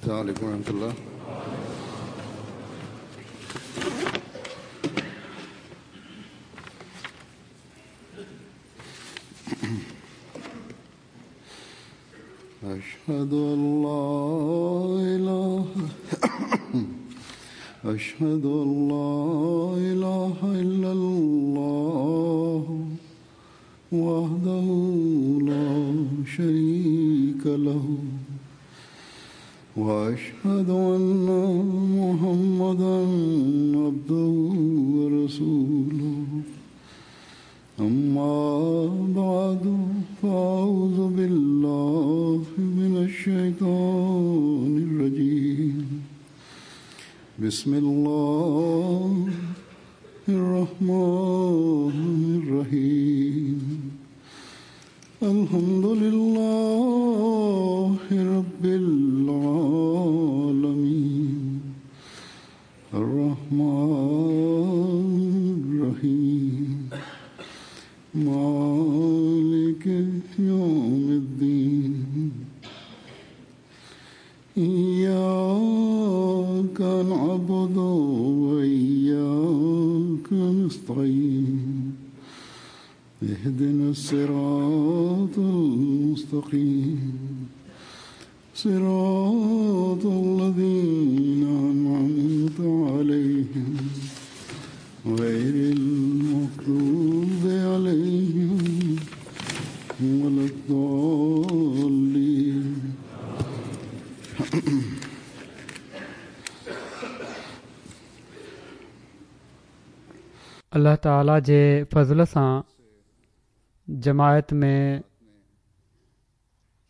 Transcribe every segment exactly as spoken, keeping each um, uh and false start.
السلام عليكم ورحمة الله. أشهد أن لا إله أشهد أن لا إله إلا الله وحده لا شريك له وأشهد أن محمدا عبده ورسوله. أما بعد فأعوذ بالله من الشيطان الرجيم. بسم الله الرحمن الرحيم. الحمد لله رب العالمين الرحمن الرحيم مالك يوم الدين. إياك نعبد وإياك نستعين. اهدنا الصراط المستقيم صراط الذين أنعمت عليهم غير المغضوب عليهم ولا الضالين. الله تعاليٰ جي فضل سان جماعت ۾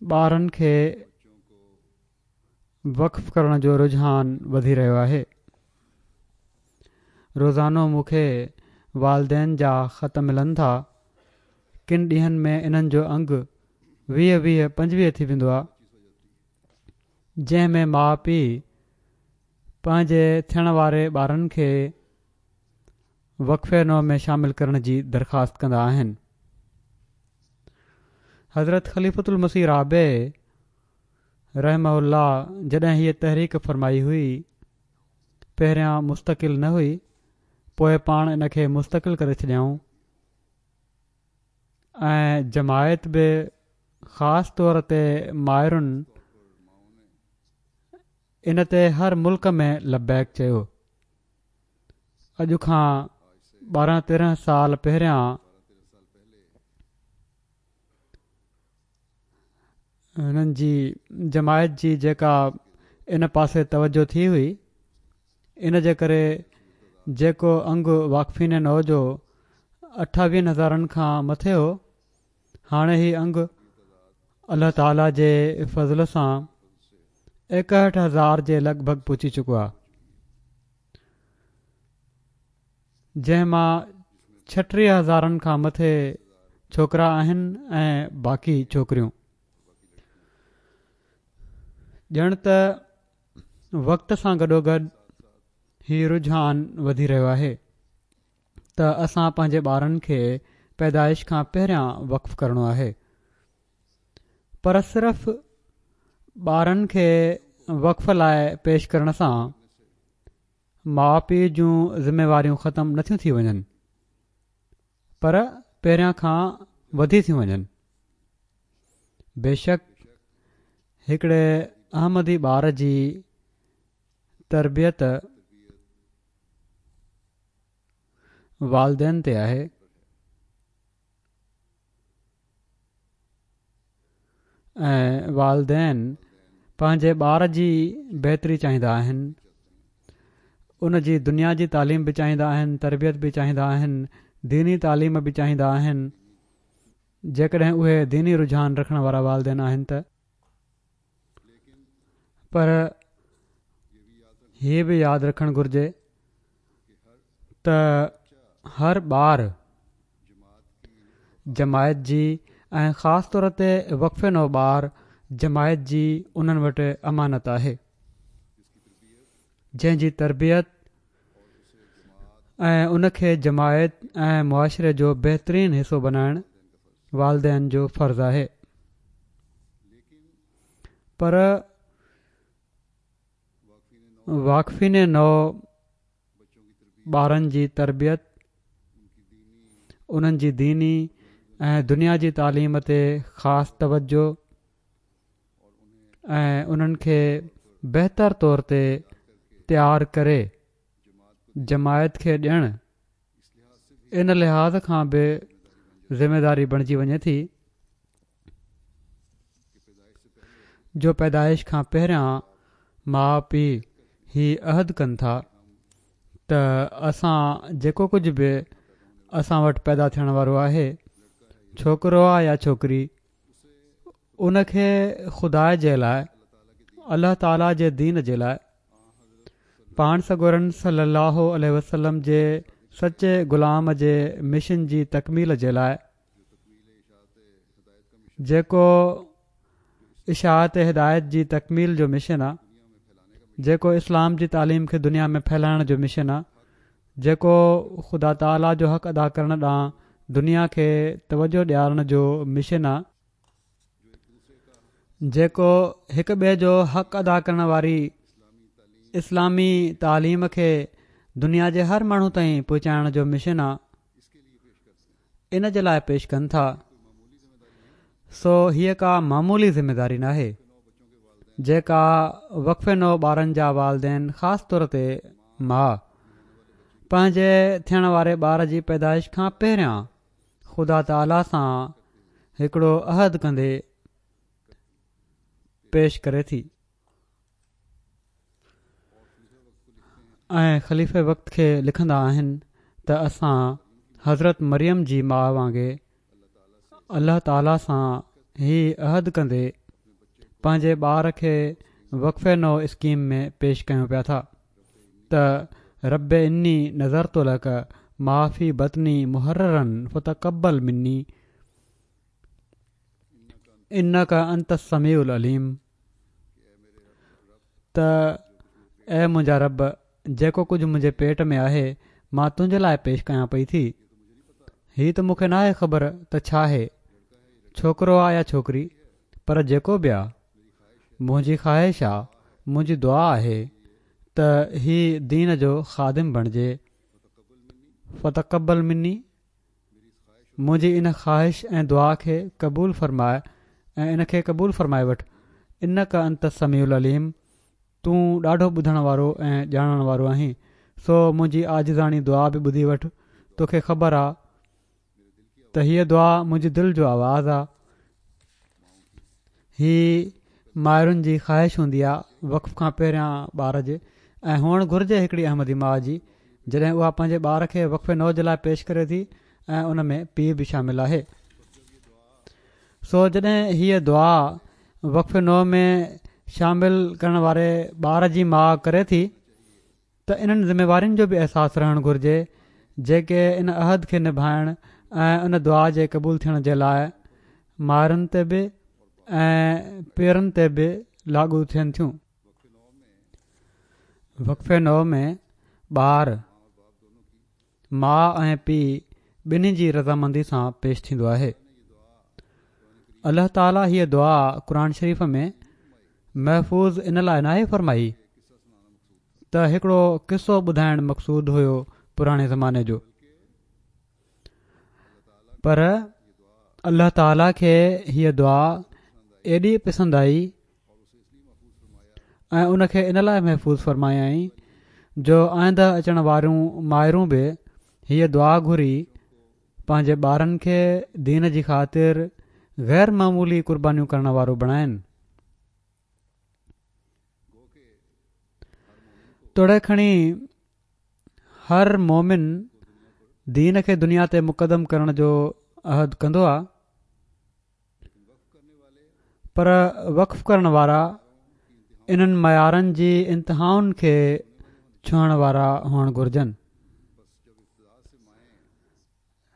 ٻارن کي وقف ڪرڻ جو رجحان وڌي رهيو آهي. روزانو مون کي والدين جا خط ملن ٿا. ڪن ڏينهن ۾ انهن جو انگ ويهه ويهه پنجويهه ٿي ويندو آهي، جنهن ۾ ماءُ پيءُ پنهنجي ٿيڻ واري ٻارن کي وقف نو ۾ شامل ڪرڻ جي درخواست ڪندا آهن. حضرت خليفة المسيح رابع رحمه الله جڏهن هيءَ تحريڪ فرمائي هئي، پهريان مستقل نه هئي، پوءِ پاڻ ان کي مستقل ڪري ڇڏيائون ۽ جماعت به خاص طور تي مائرن ان تي هر ملڪ ۾ لبيڪ چيو. اڄ کان ٻارهن تيرهن سال پهريان هنن جي جماعت جي جيڪا ان پاسي توجه ٿي هئي، ان جي ڪري جيڪو انگ واقفين نو جو اٺاويهن هزارن کان مٿي هو، هاڻي هي انگ الله تعاليٰ جي فضل سان ايڪهٺ هزار جي لڳ ڀڳ پهچي چڪو آهي، جنهن مان ڇٽيهه هزارن کان مٿي ڇوڪرا آهن ۽ باقي ڇوڪريون. ڄڻ ته وقت سان گڏوگڏ هي رجحان وڌي رهيو آهي ته اسان پنهنجي ٻارن کي پيدائش کان پهريان وقف ڪرڻو آهي، پر صرف ٻارن کي وقف لاءِ پيش ڪرڻ سان ماءُ پيءُ جون ذميواريون ختم نٿيون ٿي وڃن، پر پهريان کان وڌي ٿيون وڃن. بيشڪ هڪڙي احمدي ٻار جي تربيت والدين تي آهي ۽ والدين پنهنجي ٻار جي بهتري چاهيندا آهن، ان جي دنيا جي تعليم به چاهيندا آهن، تربيت به چاهيندا آهن، ديني تعليم به چاهيندا آهن، جيڪڏهن اهي ديني رجحان رکڻ وارا والدين آهن ته. پر هي به ياد رکڻ گهرجي ته هر ٻار جماعت جي ۽ خاص طور تي وقف نو ٻار جماعت جي انهن وٽ امانت آهي، جنهن جي تربيت ۽ ان کي جماعت ۽ معاشري جو بهترين حصو بنائڻ والدين جو فرض آهي. پر واقفين نو ٻارن جي تربيت، انهن جي ديني ۽ دنيا جي تعليم تي خاص توجه ۽ انهن کي بهتر طور تي تيار ڪري جماعت کي ڏيڻ ان لحاظ کان به ذميداري بڻجي وڃي ٿي جو پيدائش کان پهريان ماء پيء هي عهد ڪن ٿا ته اسان جيڪو ڪجهه به اسان وٽ پيدا ٿيڻ وارو آهي، ڇوڪرو آ يا ڇوڪري، ان کي خدا جي لاء، الله تعاليٰ جي دين جي لاء، پاڻ سڳورن صلي الله عليه وسلم جي سچي غلام جي مشن جي تڪميل جي لاء، جيڪو اشاعت هدايت جي تڪميل جو مشن آ، جيڪو اسلام جي تعليم کي دنيا ۾ ڦهلائڻ جو مشن آ، جيڪو خدا تعاليٰ جو حق ادا ڪرڻ ڏانهن دنيا کي توجه ڏيارڻ جو مشن آ، جيڪو هڪ ٻئي جو حق ادا ڪرڻ واري اسلامي تعليم کي دنيا جي هر ماڻهو تائين پهچائڻ جو مشن آ، ان جي لاء پيش ڪن ٿا. سو هيء ڪا معمولي ذميداري ناهي جيڪا وقف نو ٻارن جا والدين خاص طور تي ماء پنهنجي ٿيڻ واري ٻار جي پيدائش کان پهريان خدا تعاليٰ سان هڪڙو عهد ڪندي پيش ڪري ٿي. ۽ خليفي وقت کي لکندا آهن ته اسان حضرت مريم جي ماء وانگي الله تعاليٰ سان هي عهد ڪندي پنهنجي ٻار کي وقف نو اسڪيم ۾ پيش ڪيون پيا ٿا ته رب اني نذرت لڪ ما في بطني محررا فتقبل مني انڪ انت السميع العليم ته اي منهنجا رب، جيڪو ڪجهه منهنجي پيٽ ۾ آهي مان تنهنجي لاء پيش ڪيان پئي ٿي. هي ته مون کي ناهي خبر ته ڇا آهي، ڇوڪرو آ يا ڇوڪري، پر جيڪو به آ، منهنجي خواهش آ، منهنجي دعا آهي ته هي دين جو خادم بڻجي. فتقبل مني، منهنجي ان خواهش ۽ دعا کي قبول فرماء ۽ ان کي قبول فرمائي وٺ. انڪ انت السميع العليم، تون ڏاڍو ٻڌڻ وارو ۽ ڄاڻڻ وارو آهين، سو منهنجي عاجزاڻي دعا به ٻڌي وٺ. توکي خبر آ ته هيء دعا منهنجي دل جو آواز آ. هي مائرن جي خواهش هوندي آ وقف کان پهريان ٻار جي، ۽ هئڻ گهرجي هڪڙي احمدي ماء جي جڏهن اها پنهنجي ٻار کي وقف نو جي لاء پيش ڪري ٿي ۽ ان ۾ پيء به شامل آهي. سو جڏهن هيء دعا وقف نو ۾ شامل ڪرڻ واري ٻار جي ماء ڪري ٿي ته انهن ذميوارين جو به احساس رهڻ گهرجي جيڪي ان عهد کي نڀائڻ ۽ ان دعا جي قبول ٿيڻ جي لاء مائرن تي به ۽ پيئرن تي به لاڳو ٿين ٿيون. وقف نو ۾ ٻار ماء ۽ پيء ٻنهي جي رضامندي سان پيش ٿيندو آهي. الله تعاليٰ هيء دعا قرآن شريف ۾ محفوظ ان لاء ناهي فرمائي ته هڪڙو قصو ٻڌائڻ مقصود هيو پراڻي زماني جو، پر الله تعاليٰ کي هيء دعا ايڏي پسند آئي ۽ ان کي ان لاء محفوظ فرمايائين جو آئنده اچڻ واريون مائرون به هيء دعا گهري پنهنجي ٻارن کي دين جي خاطر غير معمولي قربانيون ڪرڻ وارو بڻائن. توڙي کڻي هر مومن دين کي دنيا تي مقدم ڪرڻ جو عهد ڪندو آ، پر وقف ڪرڻ وارا انهن معيارن جي انتهائن کي ڇهڻ وارا هئڻ گهرجن.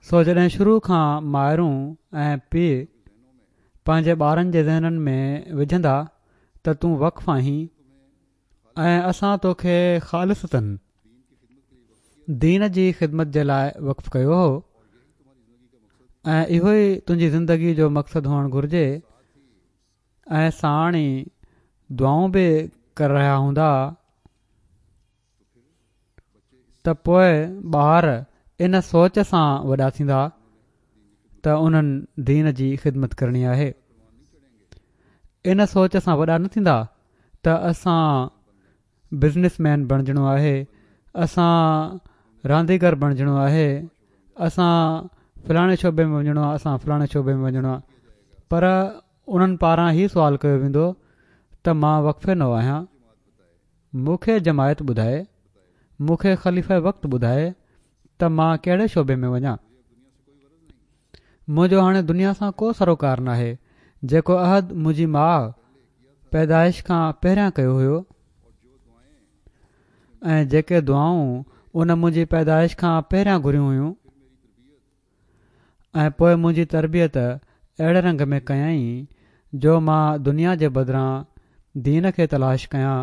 سو جڏهن شروع کان مائرون ۽ پيء پنهنجي ٻارن جي ذهنن ۾ وجهندا ته تون وقف آهين ۽ اسان توکي خالصتاً دين جي خدمت جي لاء وقف ڪيو هو ۽ اهو ئي تنهنجي زندگي جو مقصد هئڻ گهرجي ۽ ساڻ ئي دعائون به ڪري رهيا هوندا ته پوء ٻار ان سوچ سان وڏا ٿيندا ته انهن دين جي خدمت ڪرڻي آهي. ان سوچ سان وڏا نه ٿيندا ته اسان بزنس مين بڻجڻو آهي، اسان رانديگر بڻجڻو آهي، اسان فلاڻي شعبي ۾ وڃڻو آهي، اسان فلاڻي شعبي ۾ وڃڻو آهي. پر انهن پاران هي سوال ڪيو ويندو ته مان وقف نو آهيان، مون کي جماعت ٻڌائي، مون کي خليفه وقت ٻڌائي ته مان ڪهڙي شعبي ۾ وڃان. منهنجو هاڻي دنيا سان ڪو سروڪار ناهي. جيڪو عهد منهنجي ماء پيدائش کان پهريان ڪيو هيو ۽ جيڪي دعائون ان منهنجي پيدائش کان پهريان گهريون هيون ۽ پوء منهنجي تربيت اهڙي رنگ ۾ ڪيائين جو مان دنيا جي بدران دين کي تلاش ڪيان.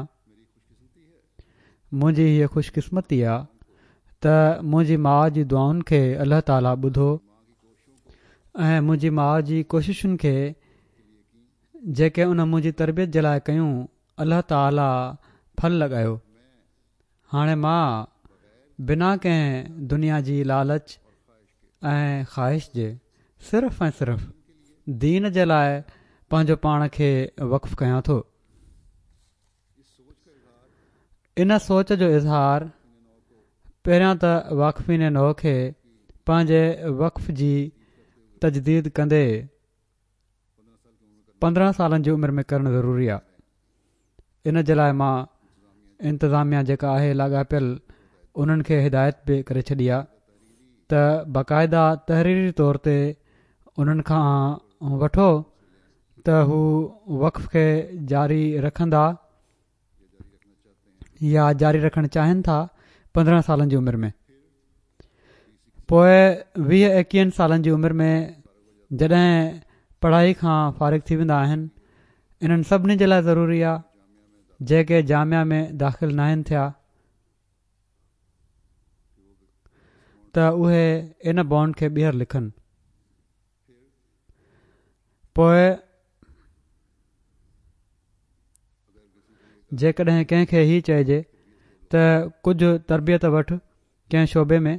منهنجي هيء خوشقسمتي آ ته منهنجي ماء جي دعائن کي الله تعاليٰ ٻڌو ۽ منهنجي ماء جي ڪوششن کي جيڪي ان منهنجي تربيت جي لاء ڪيون الله تعاليٰ ڦل لڳايو. هاڻي مان بنا ڪنهن دنيا جي لالچ ۽ خواهش جي صرف ۽ صرف دين جي لاء پنهنجو پاڻ کي وقف ڪيان ٿو. ان سوچ جو اظهار پهريان ته واقفين نو کي پنهنجي وقف جي تجديد ڪندي پندرهن سالن جي عمر ۾ ڪرڻ ضروري آهي. ان جي لاء مان انتظاميا جيڪا آهي لاڳاپيل انهن کي هدايت به ڪري ڇڏي آهي ته باقاعده تحريري طور تي انهن کان وٺو ته هو وقف کي جاري رکندا يا جاري رکڻ چاهين ٿا پندرهن سالن جي عمر ۾. پوء ويهه ايڪيهن سالن جي عمر ۾ جڏهن پڙهائي کان فارغ ٿي ويندا آهن، انهن سڀني جي لاء ضروري آهي جيڪي جامعه ۾ داخل ناهن ٿيا ته اهي ان بانڊ کي ٻيهر لکن. پوء جيڪڏهن ڪنهن کي هي چئجي ته ڪجهه تربيت وٺ ڪنهن شعبي ۾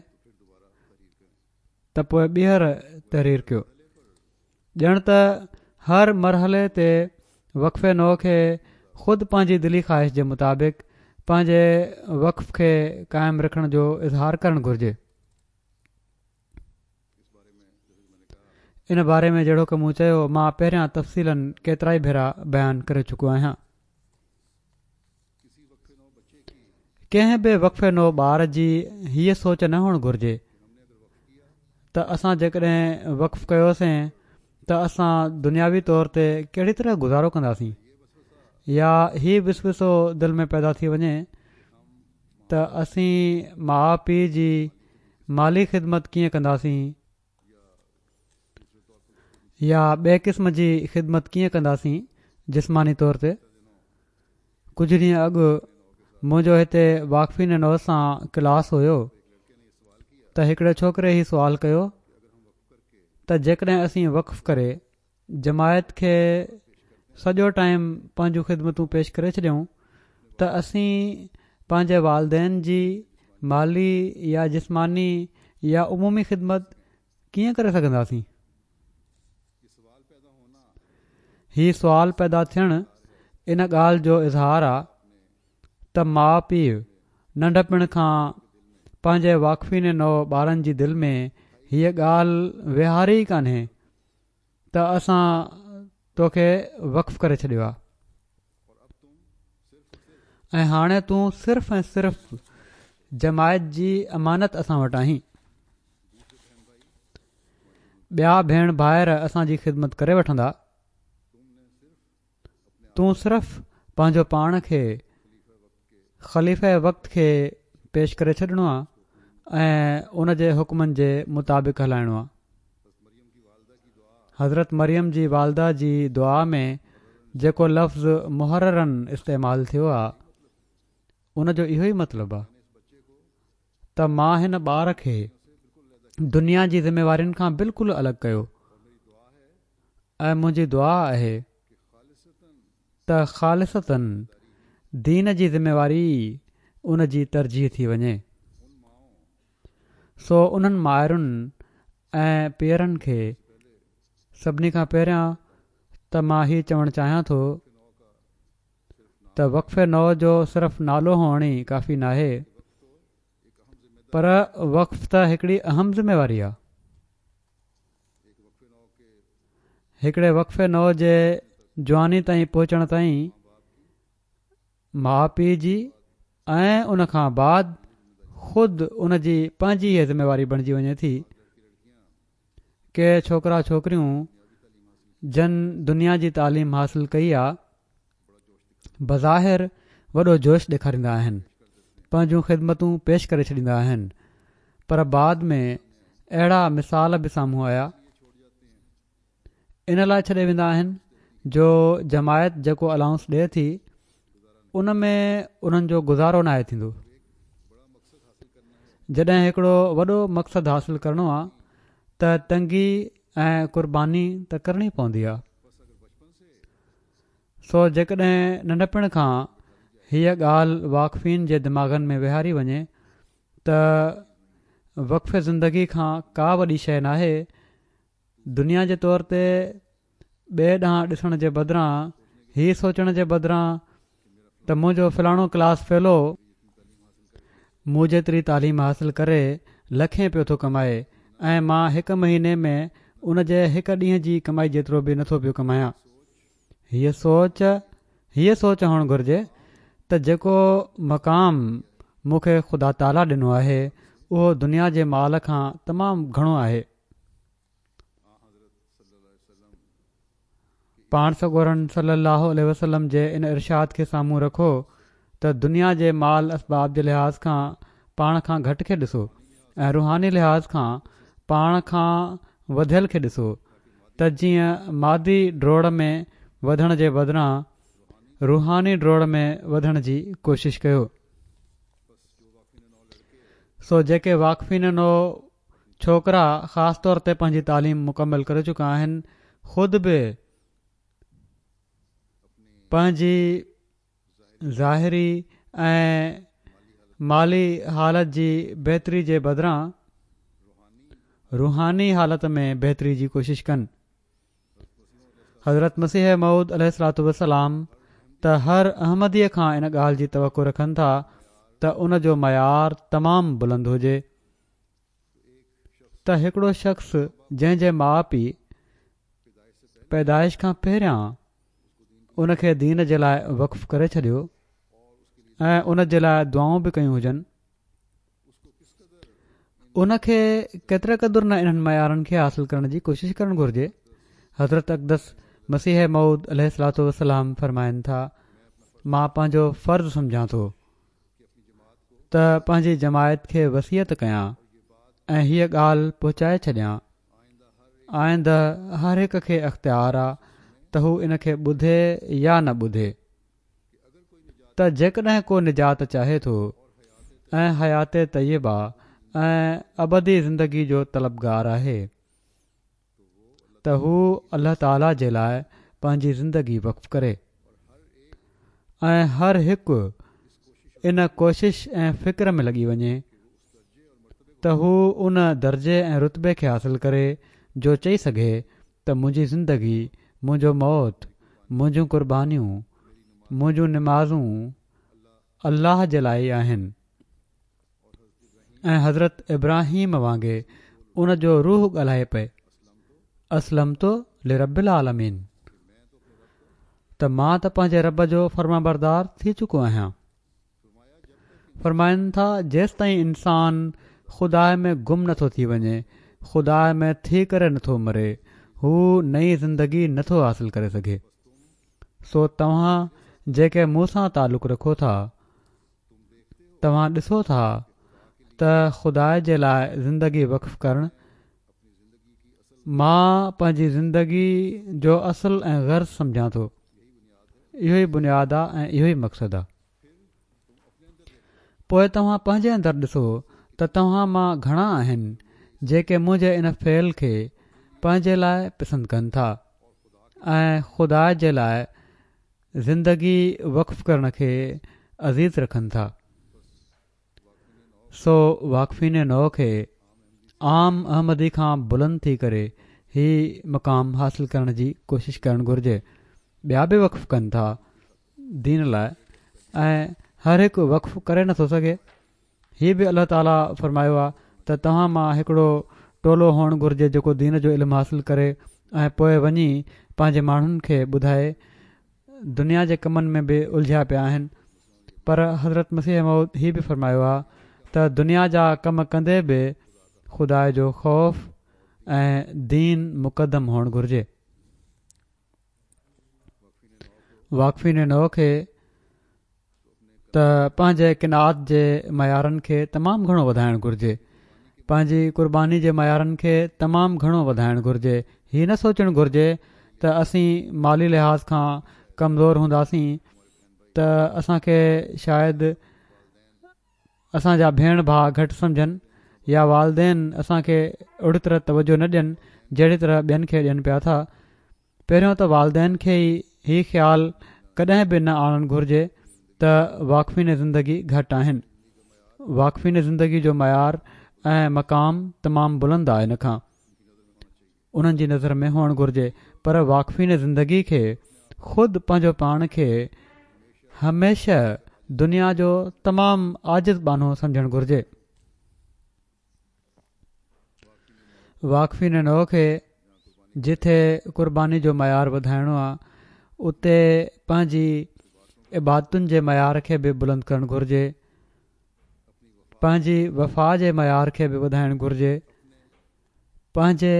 ته پوء ٻيهر تحرير ڪيو. ڄڻ ته هر مرحلي تي وقف نو کي خود پنهنجي دلي خواهش جي مطابق پنهنجي وقف کي قائم رکڻ جو اظهار ڪرڻ گهرجي. ان باري ۾ جهڙوڪ مون چيو مان پهريان تفصيلاً ڪيترائي ڀيرا بيان ڪري چڪو آهيان. ڪنهن به وقف نو ٻار جي هيء سوچ نه هئڻ گهرجي ته اسان جيڪڏهن وقف ڪيوسين ته اسان دنياوي طور تي ڪهڙي طرح گذارو ڪنداسين، يا هي وسوسو دل ۾ پيدا ٿي وڃي ته اسين ماء پيء جي مالي خدمت ڪيئن ڪنداسين يا ٻئي قسم جي خدمت ڪيئن ڪنداسين جسماني طور تي. ڪجهه ڏينهن اڳ منهنجو هتي واقفين نو سان ڪلاس هيو ته هڪڙي ڇوڪري هي سوال ڪيو ته جيڪڏهن اسين وقف ڪري جماعت کي سڄو ٽائيم پنهنجون خدمتون پيش ڪري ڇڏيون ته اسين پنهنجي والدين جي مالي يا جسماني يا عمومي خدمت ڪيئن ڪري سگهنداسين؟ هي سوال پيدا ٿيڻ ان ڳالهه جو اظهار آ ته ماء پيء ننڍپڻ کان پنهنجي واقفين نو ٻارن جي دل ۾ هيء ڳالهه ويهاري ئي ڪانهي ته اسان توکي وقف ڪري ڇڏيو آ ۽ هاڻي تون صرف ۽ صرف جماعت جي امانت اسان وٽ آهين. ٻيا ڀيڻ ڀائر اسان جي خدمت ڪري وٺندا، تون صرف پنهنجو پاڻ کي خليفه وقت کي پيش ڪري ڇڏڻو آ ۽ ان جي حڪمن جي مطابق هلائڻو آ. حضرت مريم جي والده جي دعا ۾ جيڪو لفظ محرراً استعمال ٿيو آ ان جو اهو ئي مطلب آ ته مان هن ٻار کي دنيا جي ذميوارين کان بلڪل الڳ ڪيو ۽ منهنجي دعا آهي ته خالصتاً دين جي ذميواري ان جي ترجيح ٿي وڃي. سو انهن مائرن ۽ پيئرن کي سڀني کان پهريان ته مان هي چوڻ چاهيان ٿو ته وقف نو جو صرف نالو هئڻ ئي ڪافي ناهي، پر وقف ته هڪڙي اهم ذميواري آهي. هڪڙي وقف نو جي جواني تائين پهچڻ تائين ماء پيء جي ۽ ان کان بعد خود ان جي پنهنجي هيء ذميواري بڻجي وڃي ٿي. ڪي ڇوڪرا ڇوڪريون جن دنيا جي تعليم حاصل ڪئي آ، بظاهر وڏو جوش ڏيکاريندا آهن، پنهنجون خدمتون پيش ڪري ڇڏيندا آهن، پر بعد ۾ اهڙا مثال به سامهون آيا، ان لاء ڇڏي ويندا آهن جو جماعت جيڪو الائونس ڏئي ٿي ان ۾ انهن جو گذارو ناهي ٿيندو. جڏهن هڪڙو وڏو مقصد حاصل ڪرڻو آ ته تنگي ۽ قرباني ته ڪرڻي پوندي آ. سو جيڪڏهن ننڍپڻ کان هيء ڳالهه واقفين جي دماغن ۾ ويهاري وڃي ته وقف زندگي کان ڪا وڏي شيء ناهي، دنيا جي طور تي ٻئي ڏانهن ڏسڻ جي بدران هي سوچڻ جي بدران ته منهنجو فلاڻو ڪلاس فيلو مون جيتري تعليم حاصل ڪري لکين پيو ٿو ڪمائي ۽ مان هڪ مهيني ۾ ان جي هڪ ڏينهن جي ڪمائي جيترو به نٿو پيو ڪمايان. هيء سوچ هيء سوچ هئڻ گهرجي ته جيڪو مقام مون کي خدا تعاليٰ ڏنو آهي اهو دنيا جي مال کان تمام گهڻو آهي. پاڻ سڳورن صلي الله عليه وسلم جي ان ارشاد کي سامهون رکو ته دنيا جي مال اسباب جي لحاظ کان پاڻ کان گهٽ کي ڏسو ۽ روحاني لحاظ کان پاڻ کان وڌيل کي ڏسو ته جيئن مادي ڊوڙ ۾ وڌڻ جي بدران روحاني ڊوڙ ۾ وڌڻ جي ڪوشش ڪيو. سو جيڪي واقفين نو ڇوڪرا خاص طور تي پنهنجي تعليم مڪمل ڪري چڪا آهن، خود به پنهنجي ظاهري ۽ مالي حالت جي بهتري جي بدران روحاني حالت ۾ بهتري جي ڪوشش ڪن. حضرت مسيح موعود عليه الصلوة والسلام ته هر احمديء کان ان ڳالهه جي توقع رکن ٿا ته ان جو معيار تمام بلند هجي ته هڪڙو شخص جنهن جي ماء پيء پيدائش کان پهريان ان کي دين جي لاء وقف ڪري ڇڏيو ۽ ان جي لاء دعائون به ڪيون هجن، ان کي ڪيتري قدر نه انهن معيارن کي حاصل ڪرڻ جي ڪوشش ڪرڻ گهرجي. حضرت اقدس مسيح موعود عليه الصلوة والسلام فرمائن ٿا، مان پنهنجو فرض سمجهان ٿو ته پنهنجي جماعت کي وصيت ڪيان ۽ هيء ڳالهه پهچائي ڇڏيان. آئنده هر هڪ کي اختيار آ ته هو ان کي ٻڌي يا نه ٻڌي، ته جيڪڏهن ڪو نجات چاهي ٿو ۽ حيات طيبه ۽ ابدي زندگي جو طلبگار آهي ته هو الله تعاليٰ جي لاء پنهنجي زندگي وقف ڪري ۽ هر هڪ ان ڪوشش ۽ فڪر ۾ لڳي وڃي ته هو ان درجي ۽ رتبي کي حاصل ڪري جو چئي سگهي ته منهنجي زندگي، منهنجو موت، منهنجون قربانيون، منهنجون نمازون الله جي لاء ئي آهن ۽ حضرت ابراهيم وانگي ان جو روح ڳالهائي پئي، اسلمت لرب العالمين، ته مان ته پنهنجي رب جو فرمانبردار ٿي چڪو آهيان. فرمائن ٿا، جيستائين انسان خدا ۾ گم نٿو ٿي وڃي، خدا ۾ ٿي ڪري نٿو مري، هو نئين زندگي نٿو حاصل ڪري سگهي. سو توهان جيڪي مون سان تعلق رکو ٿا، توهان ڏسو ٿا ته خدا جي لاء زندگي وقف ڪرڻ مان پنهنجي زندگي جو اصل ۽ غرض سمجهان ٿو. اهو ئي بنياد آ ۽ اهو ئي مقصد آ. پوء توهان پنهنجي اندر ڏسو ته توهان مان گهڻا آهن جيڪي منهنجي ان فعل کي پنهنجي لاء پسند ڪن ٿا ۽ خدا جي لاء زندگي وقف ڪرڻ کي عزيز رکن ٿا. سو واقفين نو کي عام احمدي کان بلند ٿي ڪري هي مقام حاصل ڪرڻ جي ڪوشش ڪرڻ گهرجي. ٻيا به وقف ڪن ٿا دين لاءِ ۽ هر هڪ وقف ڪري نٿو سگهي. هي به الله تعاليٰ فرمايو آهي ته توهان مان هڪڙو ٽولو هئڻ گهرجي جيڪو دين جو علم حاصل ڪري ۽ پوءِ وڃي پنهنجي ماڻهن کي ٻڌائي. دنيا جي ڪمن ۾ به الجهيا پيا آهن، پر حضرت مسيح موعود هي به فرمايو آهي ته دنيا جا ڪم ڪندي به خدا جو خوف ۽ دين مقدم هئڻ گهرجي. واقفين نو کي ته پنهنجي قناعت جي معيارن کي تمام گهڻو وڌائڻ گهرجي، پنهنجي قرباني جي معيارن کي تمام گهڻو وڌائڻ گهرجي. هي نه سوچڻ گهرجي ته اسين مالي لحاظ کان ڪمزور هونداسين ته اسان کي شايد اسان جا ڀيڻ ڀاءُ گهٽ سمجهن يا والدين اسان کي اهڙي طرح توجه نه ڏين جهڙي طرح ٻين کي ڏين پيا ٿا. پهريون ته والدين کي ئي هي خيال ڪڏهن به نه آڻڻ گهرجي ته واقفين زندگي گهٽ آهن. واقفين زندگي جو معيار ۽ مقام تمام بلند آهي، ان کان انهن جي نظر ۾ هئڻ گهرجي. پر واقفين زندگي کي خود پنهنجو پاڻ کي هميشه دنيا جو تمام عاجز ٻانهو سمجهڻ گهرجي. واقفين نو کي جٿي قرباني جو معيار وڌائڻو آهي اتي پنهنجي عبادتن جي معيار کي به بلند ڪرڻ گهرجي، پنهنجي وفا جي معيار کي به وڌائڻ گهرجي، پنهنجي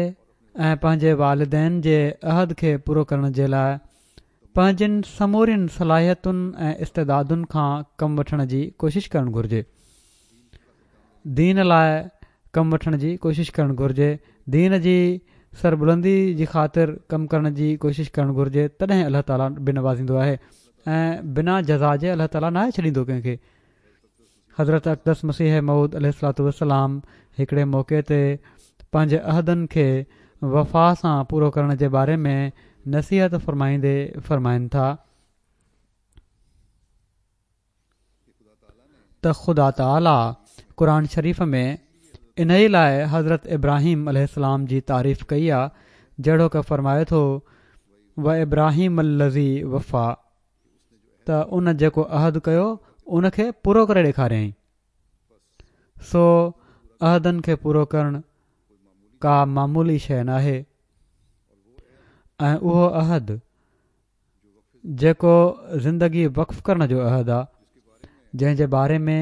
۽ پنهنجي والدين جي عهد کي پورو ڪرڻ جي لاءِ پنهنجن سمورين صلاحيتن ۽ استعدادن کان ڪم وٺڻ جي ڪوشش ڪرڻ گهرجي، دين لاءِ ڪم وٺڻ جي ڪوشش ڪرڻ گهرجي، دين جي سربلندي جي خاطر ڪم ڪرڻ جي ڪوشش ڪرڻ گهرجي. تڏهن الله تعاليٰ به نوازيندو آهي ۽ بنا جزا جي الله تعاليٰ ناهي ڇڏيندو ڪنهن کي. حضرت اقدس مسيح موعود عليه الصلوة والسلام هڪڙي موقعي تي پنهنجي عهدن کي وفا سان پورو ڪرڻ جي باري ۾ نصيحت فرمائيندي فرمائن ٿا ته خدا تعاليٰ قرآن شريف ۾ انهيءَ لاءِ حضرت ابراهيم عليه السلام جي تعريف ڪئي آهي، جهڙوڪ فرمائي ٿو وابراهيم الذي وفا، ته ان جيڪو عهد ڪيو ان کي پورو ڪري ڏيکاريائين. سو عهدن کي پورو ڪرڻ ڪا معمولي شيءِ ناهي ۽ اهو عهد جيڪو زندگي وقف ڪرڻ جو عهد آهي، جنهن جي باري ۾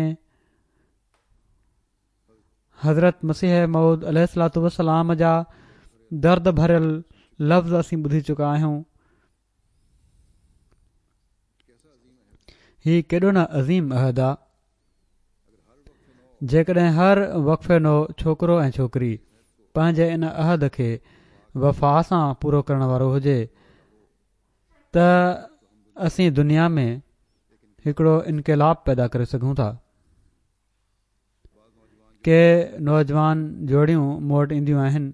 حضرت مسيح موعود عليه الصلوة والسلام جا درد ڀريل لفظ اسين ٻڌي چڪا آهيون. هي ڪيڏو نه عظيم عهد آهي. جيڪڏهن هر وقف نو ڇوڪرو ۽ ڇوڪري پنهنجي ان عهد کي وفا سان پورو ڪرڻ وارو هجي ته اسين دنيا ۾ هڪڙو انقلاب پيدا ڪري سگهون ٿا. ڪي نوجوان جوڙيون مون وٽ اينديون آهن،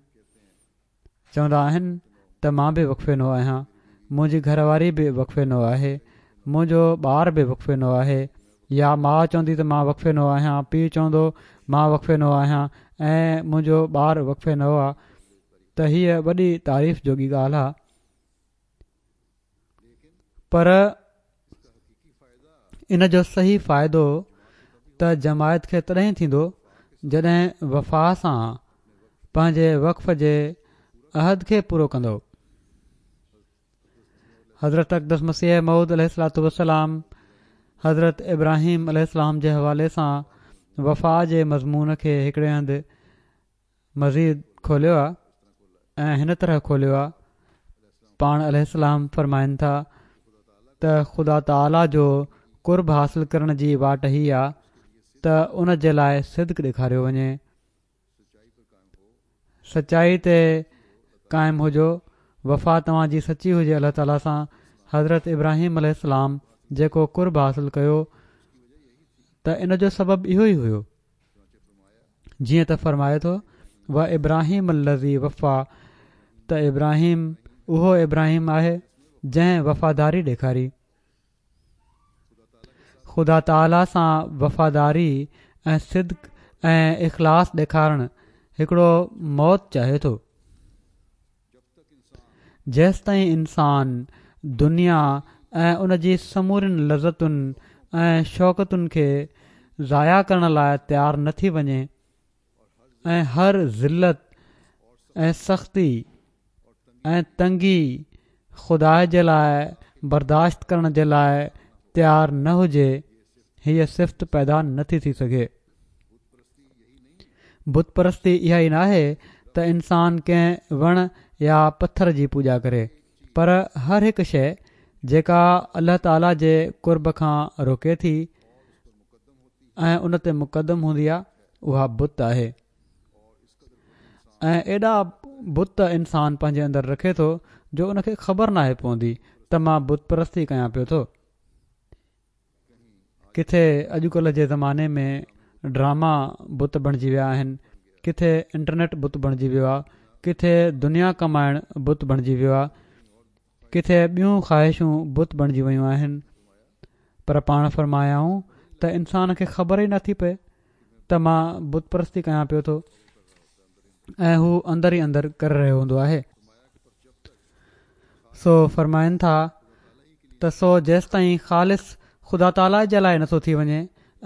چوندا آهن ته مان به وقف نو آهيان، منهنجي گهر واري به وقف نو آهي، منهنجو ٻار به وقف نو آهي. يا ماءُ چوندي ته مان وقف نو آهيان، پيءُ چوندو مان وقف نو آهيان ۽ منهنجو ٻار وقف نو آهي. ته هيءَ وڏي تعريف جوڳي ڳالهه آهي، پر ان جو صحيح فائدو ته جماعت کي تڏهن ٿيندو جڏهن وفا سان پنهنجي وقف جي عهد کي پورو ڪندو. حضرت اقدس مسيح موعود عليه الصلوة والسلام حضرت ابراهيم عليه السلام جي حوالي سان وفا جي مضمون کي هڪڙي هنڌ مزيد کوليو آهي ۽ هن طرح کوليو آهي. پاڻ عليه السلام فرمائن ٿا ته خدا تعاليٰ جو قرب حاصل ڪرڻ جي واٽ هي آهي ته ان جي لاءِ صدق ڏيکاريو وڃي، سچائي تي قائم هجو، وفا توهان جي سچي هجي الله تعاليٰ سان. حضرت ابراهيم عليه السلام جيڪو قرب حاصل ڪيو ته ان جو سبب اهو ئي هيو، جيئن ته فرمائي ٿو وابراهيم الذي وفا، ته ابراهيم اهو ابراهيم آهي جنهن وفاداري ڏيکاري. خدا تعاليٰ سان وفاداري ۽ صدق ۽ اخلاص ڏيکارڻ هڪڙو موت چاهي ٿو. جيستائين انسان دنيا ۽ ان جي سمورين لذتن ۽ شوڪتن کي ضايع ڪرڻ لاءِ تيار نه ٿي وڃي ۽ هر ذلت ۽ سختي ۽ تنگي خدا جي لاءِ برداشت ڪرڻ جي لاءِ تيار نه هجي، هيءَ صفت پيدا نٿي ٿي سگهي. بت پرستي اها ئي ناهي ته انسان ڪنهن وڻ يا پٿر جي پوڄا ڪري، پر هر هڪ شيءِ جيڪا الله تعاليٰ جي قرب کان روڪي ٿي ۽ ان تي مقدم هوندي آهي، اها بت آهي. ۽ ايڏا بت انسان پنهنجي اندر رکي ٿو جو ان کي خبر ناهي پوندي ته مان بت پرستي ڪيان پيو ٿو. ڪٿي اڄڪلهه جي زماني ۾ ڊراما بت بڻجي ويا آهن، ڪٿي انٽرنيٽ بت بڻجي ويو آهي، ڪٿي دنيا ڪمائڻ بت بڻجي ويو آهي، ڪٿي ٻيون خواهشون بت بڻجي ويون آهن. پر پاڻ فرمايائون ته انسان کي خبر ئي نٿي پئي ته مان بت پرستي ڪيان پيو ٿو ۽ هو اندر ئي اندر ڪري رهيو هوندو آهي. سو فرمائن ٿا ته سو جيستائين خالص خدا تعاليٰ جي لاءِ نٿو ٿي وڃي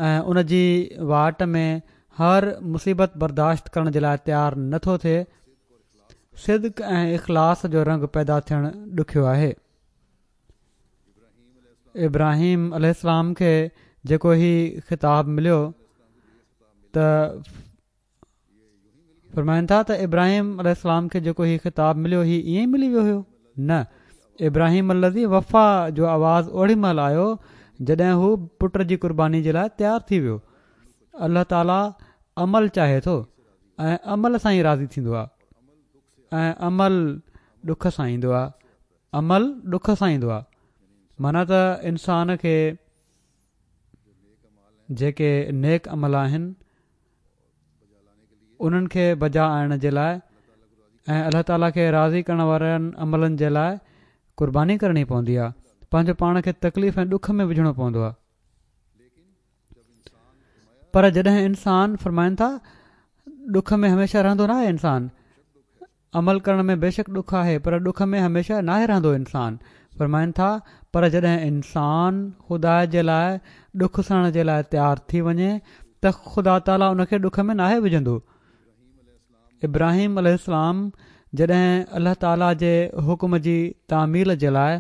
۽ ان جي واٽ ۾ هر مصيبت برداشت ڪرڻ جي لاءِ تيار نٿو ٿئي، صدق ۽ اخلاص جو رنگ پيدا ٿيڻ ڏکيو آهي. ابراهيم عليه السلام کي جيڪو هي خطاب مليو ته فرمائن ٿا ته ابراهيم عليه السلام کي جيڪو هي خطاب مليو هي ائين ئي ملي ويو هيو؟ نه، ابراهيم الذي وفا جو آواز اوڏي مهل آيو جڏهن هو پٽ جي قرباني جي لاءِ تيار ٿي ويو. الله تعاليٰ عمل چاهي ٿو ۽ عمل سان ئي راضي ٿيندو آهي ۽ عمل ڏک سان ايندو آهي. عمل ڏک سان ايندو آهي معنيٰ ته انسان کي جيڪي نيڪ عمل آهن انهن کي بجا آڻڻ جي لاءِ ۽ الله تعاليٰ کي راضي ڪرڻ وارن عملن جي لاءِ قرباني ڪرڻي پوندي آهي، پنهنجو پاڻ کي تڪليف ۽ ڏک ۾ وجهڻو پوندو آهي. پر جڏهن انسان فرمائن ٿا ڏک ۾ هميشه رهندو نه آهي انسان، عمل ڪرڻ ۾ بيشڪ ڏک آهي پر ڏک ۾ هميشه ناهي رهندو انسان. فرمائن ٿا پر جڏهن انسان خدا جي لاءِ ڏک سهڻ جي لاءِ تيار ٿي وڃي ته خدا تعاليٰ ان کي ڏک ۾ ناهي وجهندو. ابراهيم عليه السلام جڏهن الله تعاليٰ جي حڪم جي تعميل جي لاءِ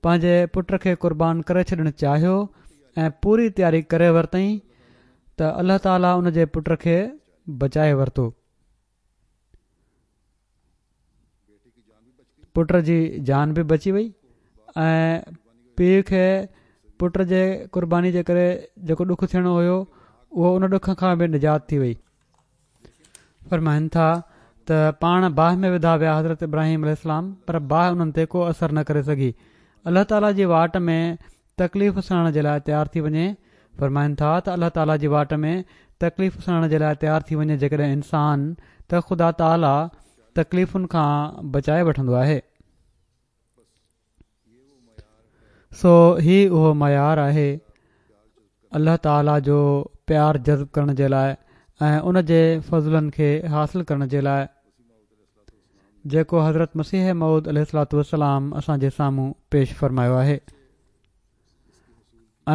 پنهنجي پٽ کي قربان ڪري ڇڏڻ چاهيو ۽ پوري تياري ڪري ورتائين ته الله تعاليٰ ان جي پٽ کي بچائي ورتو. پٽ جي جان به بچي وئي ۽ پيءُ کي پٽ جي قرباني جي ڪري جيڪو ڏک ٿيڻو هيو اهو ان ڏک کان به نجات ٿي وئي. فرمائن ٿا ته پاڻ باهه ۾ وڌا ويا حضرت ابراهيم عليه السلام، پر باهه انهن تي ڪو اثر نه ڪري سگهي. الله تعاليٰ جي واٽ ۾ تڪليف سهڻ جي لاءِ تيار ٿي وڃي. فرمائن ٿا ته الله تعاليٰ جي واٽ ۾ تڪليف سهڻ جي لاءِ تيار ٿي وڃي جيڪڏهن انسان ته خدا تعاليٰ تڪليفن کان بچائي وٺندو آهي. سو هي اهو معيار آهي الله تعاليٰ جو پيار جذب ڪرڻ جي لاءِ ۽ ان جي فضلن کي حاصل ڪرڻ جي لاءِ جيڪو حضرت مسيح موعود عليه الصلوة والسلام اسان جي سامهون پيش فرمايو آهي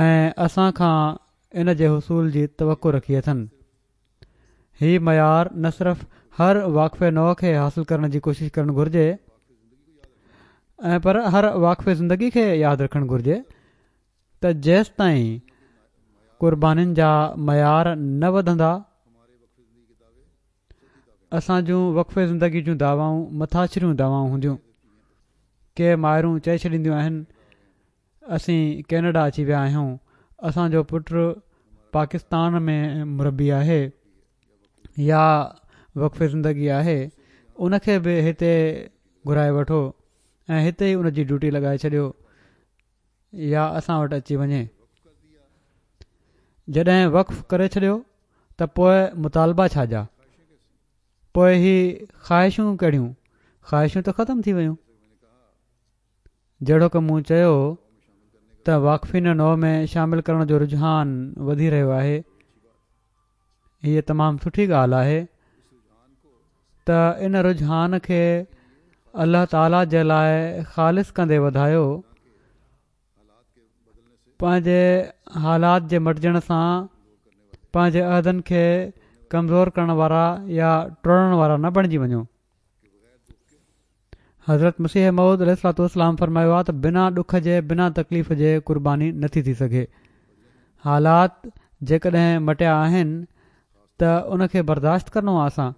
۽ اسان کان ان جي حصول جي توقع رکي اٿن. هي معيار نه صرف هر واقف نو کي حاصل ڪرڻ جي ڪوشش ڪرڻ گهرجي ۽ پر هر واقف زندگي کي ياد رکڻ گهرجي ته جيستائين قربانين جا معيار نه وڌندا اسان جون وقف زندگي جون دعوائون مٿاڇريون دعوائون هونديون. ڪي مائرون چئي ڇڏينديون آهن اسين ڪينيڊا اچي ويا آهيون، اسان جو پٽ پاڪستان ۾ مربي آهي يا وقف زندگي آهي، ان کي به هتي گهرائي وٺو ۽ هتي ئي ان جي ڊيوٽي لڳائي ڇڏيو يا اسان وٽ اچي وڃي. جڏهن وقف ڪري ڇڏيو ته پوءِ مطالبا ڇا جا، پوءِ هي خواهشون ڪهڙيون، خواهشون ته ختم ٿي ويون. جهڙوڪ مون چيو ته واقفين نو ۾ شامل ڪرڻ جو رجحان وڌي رهيو آهي. هيءَ تمام سٺي ڳالهه آهي. ته ان رجحان کي الله تعاليٰ جي لاء خالص ڪندي وڌايو. پنهنجي حالات جي مٽجڻ سان پنهنجي عهدن کي ڪمزور ڪرڻ وارا يا ٽوڙڻ وارا نه بڻجي وڃو. حضرت مسيح موعود عليه الصلوة والسلام فرمايو آهي ته بنا ڏک جي بنا تڪليف جي قرباني نٿي ٿي سگهي. حالات جيڪڏهن مٽيا آهن ته ان کي برداشت ڪرڻو آهي اسان،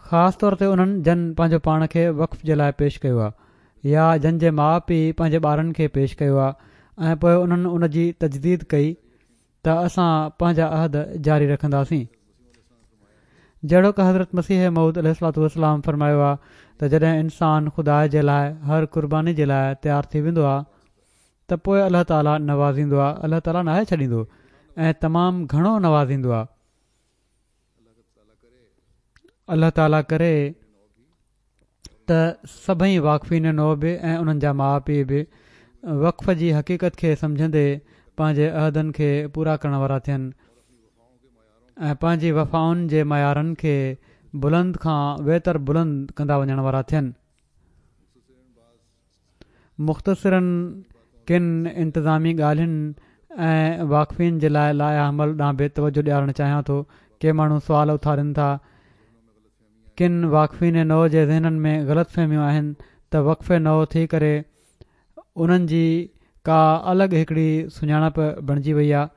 خاص طور تي انهن جن پنهنجو پاڻ کي وقف جي لاء پيش ڪيو آهي يا جن جي ماءُ پيءُ پنهنجي ٻارن کي پيش ڪيو آهي ۽ پوء انهن ان جي تجديد ڪئي ته اسان پنهنجا عهد جاري رکنداسين. جهڙوڪ حضرت مسيح موعود عليه الصلوة والسلام فرمايو آهي ته جڏهن انسان خدا جي لاء هر قرباني جي لاء تيار ٿي ويندو آهي ته پوء الله تعاليٰ نوازيندو آهي. الله تعاليٰ ناهي ڇڏيندو ۽ تمام گهڻو نوازيندو آهي. الله تعاليٰ ڪري ته سڀئي واقفين نو به ۽ انهن جا ماءُ پيءُ به وقف جي حقيقت کي سمجهندي پنهنجي عهدن کي پورا ڪرڻ وارا ٿين ۽ پنهنجي وفائن جي معيارن کي بلند کان ويتر بلند ڪندا وڃڻ وارا ٿين. مختصراً ڪن انتظامي ڳالهين ۽ واقفين جي لاءِ لائحه عمل ڏانهن به توجه ڏيارڻ چاهيان ٿو. ڪي ماڻهو سوال اٿارين ٿا. ڪن واقفين نو جي ذهنن ۾ غلط فهميون آهن ته وقف نو ٿي ڪري انهن جي ڪا الڳ هڪڙي سڃاڻپ بڻجي وئي آهي.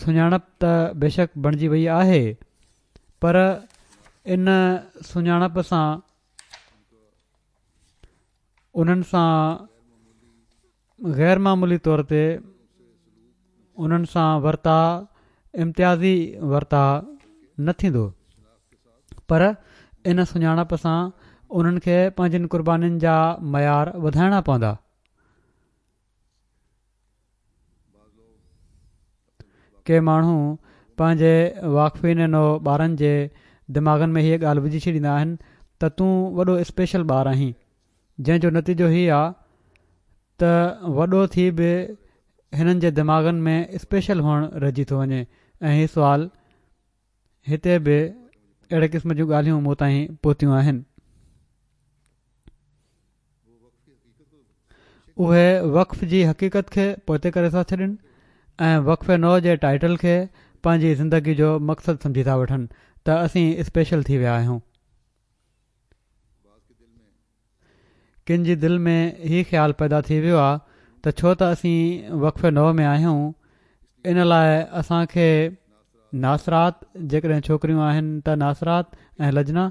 سڃاڻپ ته بيشڪ بڻجي وئي آهي، پر ان سڃاڻپ سان انهن سان غير معمولي طور تي انهن سان ورتاءُ امتيازي ورتاءُ نه ٿيندو، پر ان سڃاڻپ سان انهن کي پنهنجن قربانين جا معيار وڌائڻا پوندا. ڪي ماڻهو پنهنجي واقفين نو ٻارن جي دماغن ۾ هيءَ ڳالهه وجهي ڇڏيندا آهن ته تون وڏو اسپيشل ٻار آهين، جنهن جو نتيجو هي آهي ته وڏو ٿي به هنن جي دماغن ۾ اسپيشل هئڻ رهجي ٿو وڃي. ۽ هي سوال هتي به اهڙي قسم جون ڳالهيون مون تائين پهتيون آهن. اهي وقف جي حقيقت کي پوئتي ڪري ٿا ڇڏين ۽ وقف نو جي ٽائيٽل کي پنهنجي زندگي جو مقصد سمجهي ٿا وٺن ته اسين اسپيشل ٿي ويا آهيون. ڪن جي دل ۾ هي خيال پيدا ٿي ويو آهي ته ڇو ته اسين وقف نو ۾ آهيون، ان لاءِ اسان کي ناصرات، جيڪڏهن ڇوڪريون آهن ته ناصرات ۽ لجنا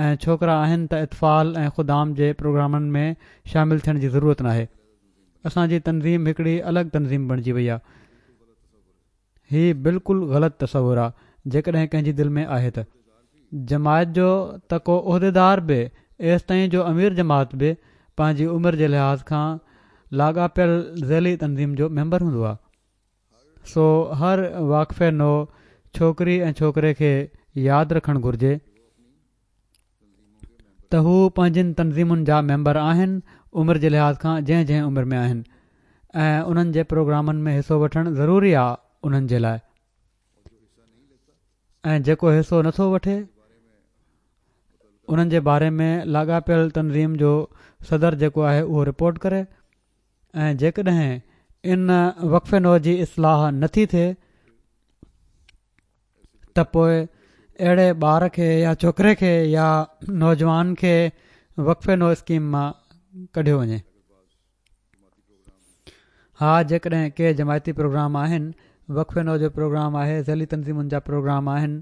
۽ ڇوڪرا آهن ته اطفال ۽ خدام جي پروگرامن ۾ شامل ٿيڻ جي ضرورت ناهي. اسان جي تنظيم هڪڙي الڳ تنظيم بڻجي وئي آهي. هي بلڪل غلط تصور آهي جيڪڏهن ڪنهن جي دل ۾ آهي ته. جماعت جو ته ڪو عهديدار به ايستائين جو امير جماعت به پنهنجي عمر جي لحاظ کان لاڳاپيل ذيلي تنظيم جو ميمبر هوندو آهي. سو هر واقف نو ڇوڪري ۽ ڇوڪري کي ياد رکڻ گهرجي ته هو پنهنجن تنظيمن جا ميمبر آهن، عمر جي لحاظ کان جنهن جنهن عمر ۾ آهن، ۽ انهن جي پروگرامن ۾ حصو وٺڻ ضروري آهي انهن جي لاءِ. ۽ جيڪو حصو نٿو وٺي انهن جي باري ۾ لاڳاپيل تنظيم جو صدر جيڪو آهي اهو رپورٽ ڪري. ۽ جيڪڏهن ان وقف نو جي اصلاح نٿي ٿئي ته پوءِ اهڙي ٻار کي يا ڇوڪري کي يا نوجوان کي وقف نو اسڪيم مان ڪڍيو وڃي. ها، جيڪڏهن ڪي جماعتي پروگرام آهن، وقف نو جو پروگرام آهي، ذيلي تنظيمن جا پروگرام آهن،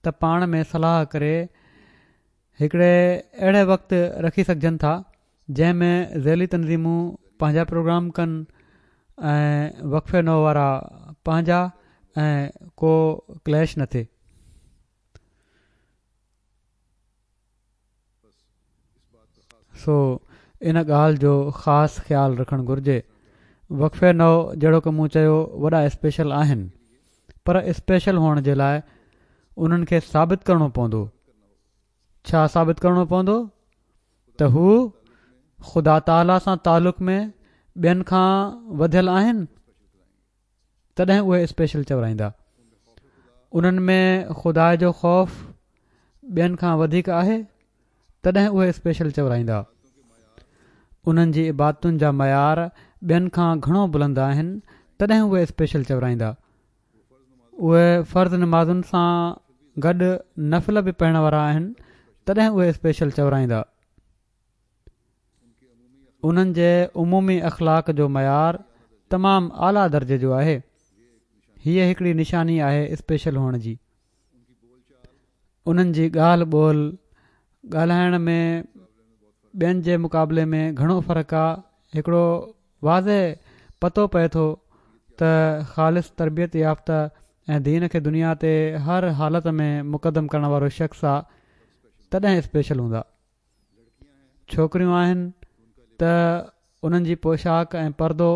ته پاڻ ۾ صلاح ڪري هڪڙي اهڙي وقت رکي سگهجن ٿا جنهن ۾ ذيلي تنظيمون پنهنجا پروگرام ڪن ۽ وقف نو وارا پنهنجا، ۽ ڪو ڪليش نه ٿئي. سو ان ڳالهه جو خاص خيال رکڻ گهرجي. وقف نو جهڙوڪ مون چيو وڏا اسپيشل آهن، پر اسپيشل هئڻ جي لاءِ انهن کي ثابت ڪرڻو پوندو. ڇا ثابت ڪرڻو پوندو؟ ته هو خدا تعاليٰ سان تعلق ۾ ٻين کان وڌيل آهن، تڏهن اهي اسپيشل چورائيندا. انهن ۾ خدا جو خوف ٻين کان وڌيڪ آهي تڏهن اهي اسپيشل چورائيندا. انهن جي عبادتن جا معيار ٻين کان گهڻو بلند آهن تڏهن اهي اسپيشل چورائيندا. اهي فرض نمازن سان گڏ نفل به پڙهڻ وارا آهن تڏهن اهي اسپيشل چورائيندا. انهن جي عمومي اخلاق جو معيار تمام اعليٰ درجي جو آهي. هيءَ هڪڙي نشاني آهي اسپيشل هئڻ جي. انهن جي ڳالهه ٻولهه ڳالهائڻ ۾ ٻين جي مقابلي ۾ گهڻو فرق آهي. هڪڙو واضح پتو پئي ٿو ته خالص تربيت يافته ۽ دين کي دنيا تي هر حالت ۾ مقدم ڪرڻ وارو شخص آهي تڏهن اسپيشل هوندا. ڇوڪريون آهن ته انهن جي پوشاڪ ۽ پردو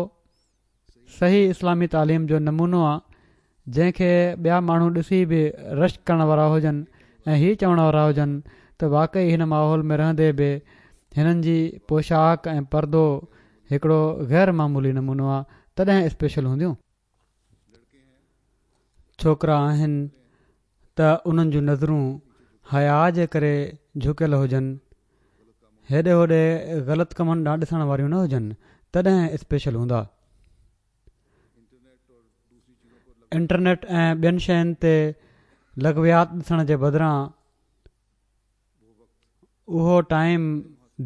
صحيح اسلامي تعليم جو نمونو آهي جنهن کي ٻيا ماڻهو ڏسي به رشڪ ڪرڻ وارا هجن ۽ هي چوڻ وارا هجن ته واقعي هن ماحول ۾ رهندي به هنن جي پوشاڪ ۽ پردو هڪڙو غير معمولي نمونو آهي تڏهن اسپيشل هونديون. ڇوڪرا آهن ته انهن جون نظرون حياءَ جي ڪري جهڪيل هجن، هيڏي هوڏي غلط ڪمن ڏانهن ڏسڻ واريون نه هجن تڏهن اسپيشل هوندا. انٽرنيٽ ۽ ٻين شين تي لغويات ڏسڻ جي بدران اهو ٽائيم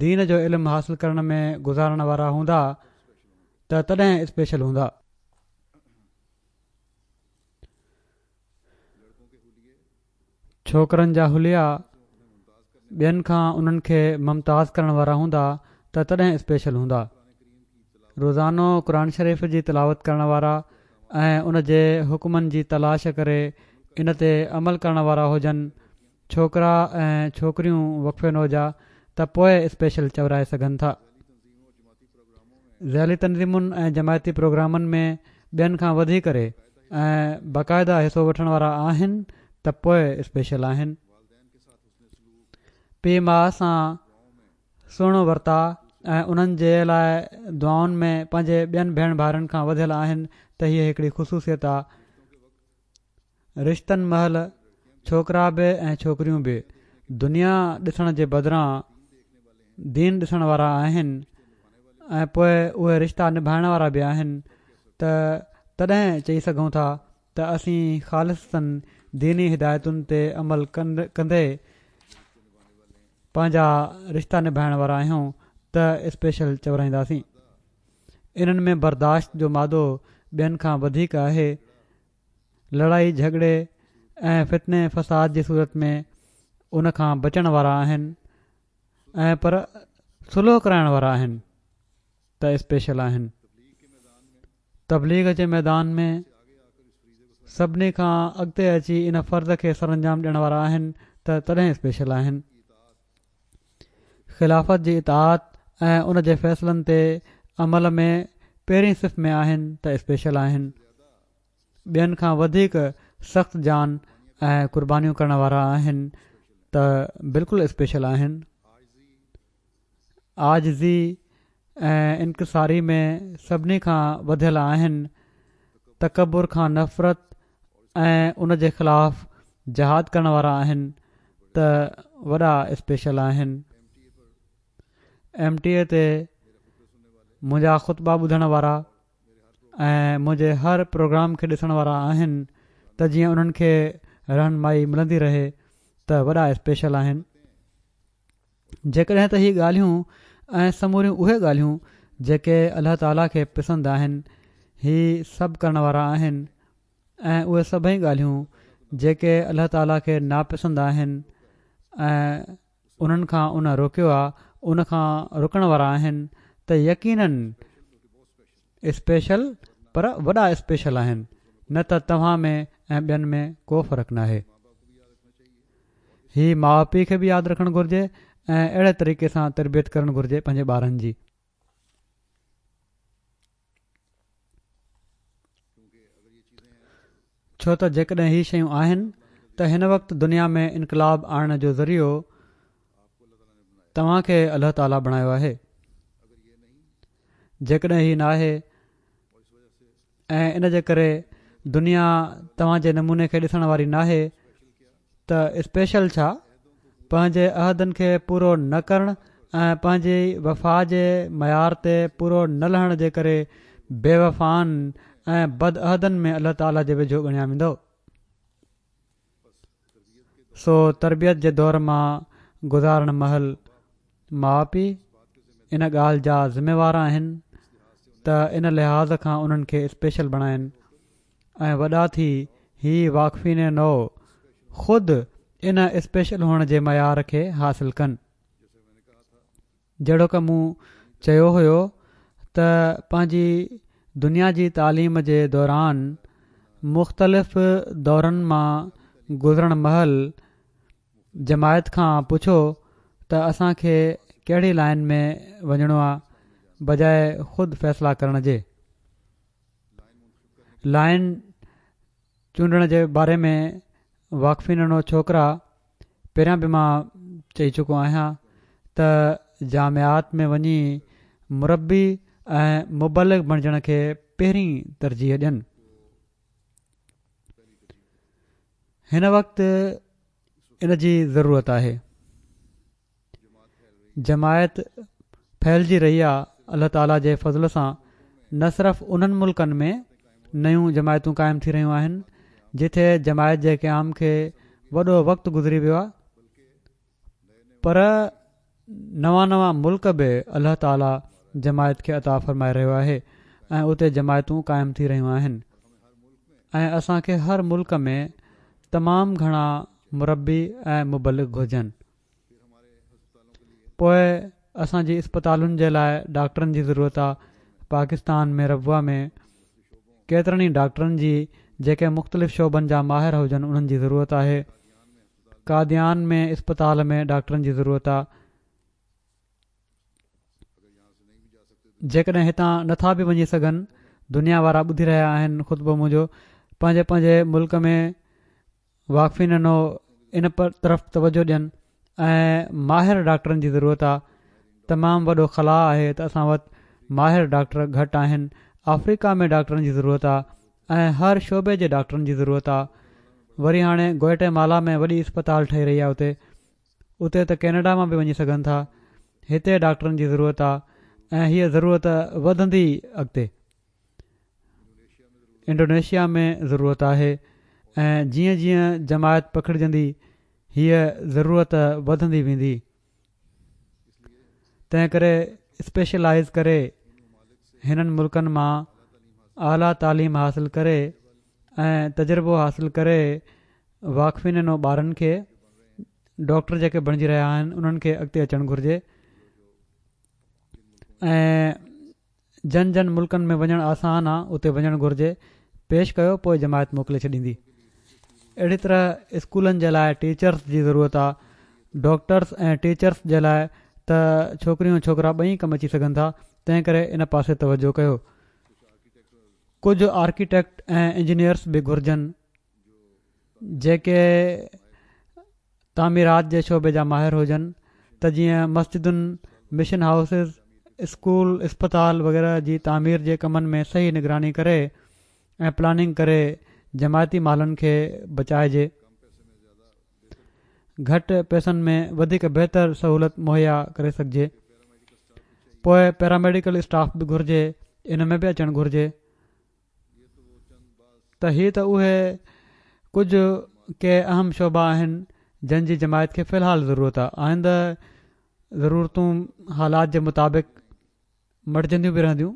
دين جو علم حاصل ڪرڻ ۾ گذارڻ وارا هوندا ته تڏهن اسپيشل هوندا. ڇوڪرن جا حليا ٻين کان انهن کي ممتاز ڪرڻ وارا هوندا ته تڏهن اسپيشل هوندا. روزانو قرآن شريف جي تلاوت ڪرڻ وارا ۽ ان جي حڪمن جي تلاش ڪري ان تي عمل ڪرڻ وارا هجن ڇوڪرا ۽ ڇوڪريون وقف نو جا ته پوءِ اسپيشل چورائي سگهن ٿا. ذيلي تنظيمن ۽ جماعتي پروگرامن ۾ ٻين کان وڌي ڪري ۽ باقاعده حصو وٺڻ وارا آهن ته پوءِ اسپيشل آهن. پيءُ ماءُ سان سهڻو ورتاءُ ۽ انهن جي لاءِ دعائن ۾ پنهنجي ٻين ڀيڻ ڀائرن کان وڌيل آهن ته هيءَ هڪڙي خصوصيت آهي. رشتن مهل ڇوڪرا به ۽ ڇوڪريون به دنيا ڏسڻ جي بدران دين ڏسڻ وارا آهن ۽ پوءِ اهي رشتا نڀائڻ وارا به آهن ته تڏهن چئي سگهون ٿا ته اسين خالصتاً ديني هدايتن تي عمل ڪندي پنهنجا رشتا نڀائڻ وارا آهيون ته اسپيشل چورائينداسين. انهن ۾ برداشت جو مادو ٻين کان وڌيڪ آهي. لڙائي جهڳڙي ۽ فتني فساد جي صورت ۾ ان کان بچڻ وارا آهن ۽ پر صلح ڪرائڻ وارا آهن ته اسپيشل آهن. تبليغ جي ميدان ۾ سڀني کان اڳتي اچي ان فرض کي سرانجام ڏيڻ وارا آهن ته تڏهن اسپيشل آهن. خلافت جي اطاعت ۽ ان جي فيصلن تي عمل ۾ پهرين صف ۾ آهن ته اسپيشل آهن. ٻين کان وڌيڪ سخت جان ۽ قربانيون ڪرڻ وارا آهن ته بلڪل اسپيشل آهن. عاجزي ۽ انڪساري ۾ سڀني کان وڌيل آهن. تڪبر کان نفرت ۽ ان جي خلاف جهاد ڪرڻ وارا آهن ته وڏا اسپيشل آهن. ايم ٽي اي تي منهنجا خطبا ٻڌڻ وارا ۽ منهنجي هر پروگرام کي ڏسڻ وارا آهن ته جيئن انهن کي رهنمائي ملندي رهي ته وڏا اسپيشل آهن. جيڪڏهن ته هي ڳالهيون ۽ سموريون اهي ڳالهيون جيڪي الله تعاليٰ کي پسند آهن هي سڀ ڪرڻ وارا آهن ۽ اهي سڀئي ڳالهيون جيڪي الله تعاليٰ کي ناپسند آهن ۽ انهن کان ان روڪيو آهي ان کان رڪڻ وارا آهن ته يقيناً اسپيشل پر وڏا اسپيشل آهن، نه ته توهان ۾ ۽ ٻين ۾ ڪو فرق ناهي. هي ماءُ پيءُ کي به ياد رکڻ گهرجي ۽ اهڙي طريقي سان تربيت ڪرڻ گهرجي پنهنجي ٻارن جي. ڇو ته جيڪڏهن هي شيون آهن ته هن وقت دنيا ۾ انقلاب آڻڻ جو ذريعو توهان کي الله تعاليٰ بڻايو آهي. جيڪڏهن هي ناهي ۽ ان جي ڪري دنيا توهان جي نموني کي ڏسڻ واري ناهي ته اسپيشل ڇا پنهنجي عهدن کي پورو نه ڪرڻ ۽ پنهنجي وفا جي معيار تي پورو نه لهڻ جي ڪري بي وفائن ۽ بد عهدن ۾ الله تعاليٰ جي ويجهو ڳڻيا ويندؤ. سو تربيت جي دور مان گذارڻ مهل ماء پيء ان ڳالهه جا ذميوار آهن ته ان لحاظ کان انهن کي اسپيشل بڻائين ۽ وڏا ٿي هي واقفين نو خود ان اسپيشل هئڻ جي معيار کي حاصل ڪن. جهڙوڪ مون چيو هيو ته پنهنجي دنيا جي تعليم جي دوران مختلف دورن مان گذرڻ مهل جماعت کان پڇو ته اسان کي ڪهڙي لائن ۾ وڃڻو آ، بجاءِ خود فيصلا ڪرڻ جي. لائن چونڊڻ جي باري ۾ واقفين نو ڇوڪرا پهريان به مان چئي چڪو آهيان ته جامعات ۾ وڃي مربي ۽ مبلغ بڻجڻ کي پهرين ترجيح ڏين. هن وقت ان جي ضرورت آهي. جماعت ڦهلجي رهي آ الله تعاليٰ جي فضل سان نه صرف انهن ملڪن ۾ نيون جماعتون قائم ٿي رهيون آهن جتي جماعت جي قيام کي وڏو وقت گذري ويو آ، پر نوان نوان ملڪ به الله تعاليٰ جماعت کي عطا فرمائي رهيو آهي ۽ اتي جماعتون قائم ٿي رهيون آهن ۽ اسان کي هر ملڪ ۾ تمام گهڻا مربي ۽ مبلغ گهرجن. پوءِ اسان جي اسپتالن جي لاءِ ڊاڪٽرن جي ضرورت آ. پاڪستان ۾ ربوه ۾ ڪيترن ئي ڊاڪٽرن جي جيڪي مختلف شعبن جا ماهر هجن انهن جي ضرورت آهي. قاديان ۾ اسپتال ۾ ڊاڪٽرن جي ضرورت آ. جيڪڏهن هتان نٿا به وڃي سگهن، دنيا وارا ٻڌي رهيا آهن خطبو منهنجو، پنهنجي پنهنجي ملڪ ۾ واقفين نو ان طرف توجه ڏين ۽ ماهر ڊاڪٽرن جي ضرورت آ. تمام وڏو خلا آهي ته اسان وٽ ماهر ڊاڪٽر گهٽ آهن. آفريڪا ۾ ڊاڪٽرن جي ضرورت آ ۽ هر شعبي جي ڊاڪٽرن جي ضرورت آ. وري هاڻي گوئٽي مالا ۾ وڏي اسپتال ٺهي رهي آ، اتي اتي ته ڪينيڊا مان به وڃي سگهن ٿا. هتي ڊاڪٽرن جي ضرورت آ ۽ هيءَ ضرورت وڌندي اڳتي. انڊونيشيا ۾ ضرورت آهي ۽ جيئن جيئن جماعت پکڙجندي هيءَ ضرورت وڌندي ويندي. تنهن ڪري اسپيشلائيز ڪري هنن ملڪن مان اعليٰ تعليم حاصل ڪري ۽ تجربو حاصل ڪري واقفين نو ٻارن کي ڊاڪٽر جيڪي بڻجي رهيا آهن انهن کي اڳتي اچڻ گهرجي ۽ جن جن ملڪن ۾ وڃڻ آسان آ اتي وڃڻ گهرجي. پيش ڪيو پوءِ جماعت موڪلي ڇڏيندي. اهڙي طرح اسڪولن جي لاءِ ٽيچرس جي ضرورت آ. ڊاڪٽرس ۽ ٽيچرس جي لاءِ ته ڇوڪريون ڇوڪرا ٻئي ڪم اچي سگهن ٿا، تنهن ڪري ان پاسي توجه ڪيو. ڪجهه آرڪيٽيڪٽ ۽ انجنيئرس به گهرجن جيڪي تعميرات جي شعبي جا ماهر هجن ته جيئن مسجدن، مشن هائوسز، اسڪول، اسپتال وغيره جي تعمير جي ڪمن ۾ صحيح نگراني ڪري ۽ پلاننگ ڪري جماعتي مالن کي بچائجي. گهٽ پئسن ۾ وڌيڪ بهتر سهولت مهيا ڪري سگهجي. پوءِ پيراميڊيڪل اسٽاف به گهرجي، ان ۾ به اچڻ گهرجي. ته هي ته اهي ڪجهه ڪي اهم شعبا آهن جن جي جماعت کي في الحال ضرورت آ. آئنده ضرورتون حالات جي مطابق مٽجنديون به رهنديون.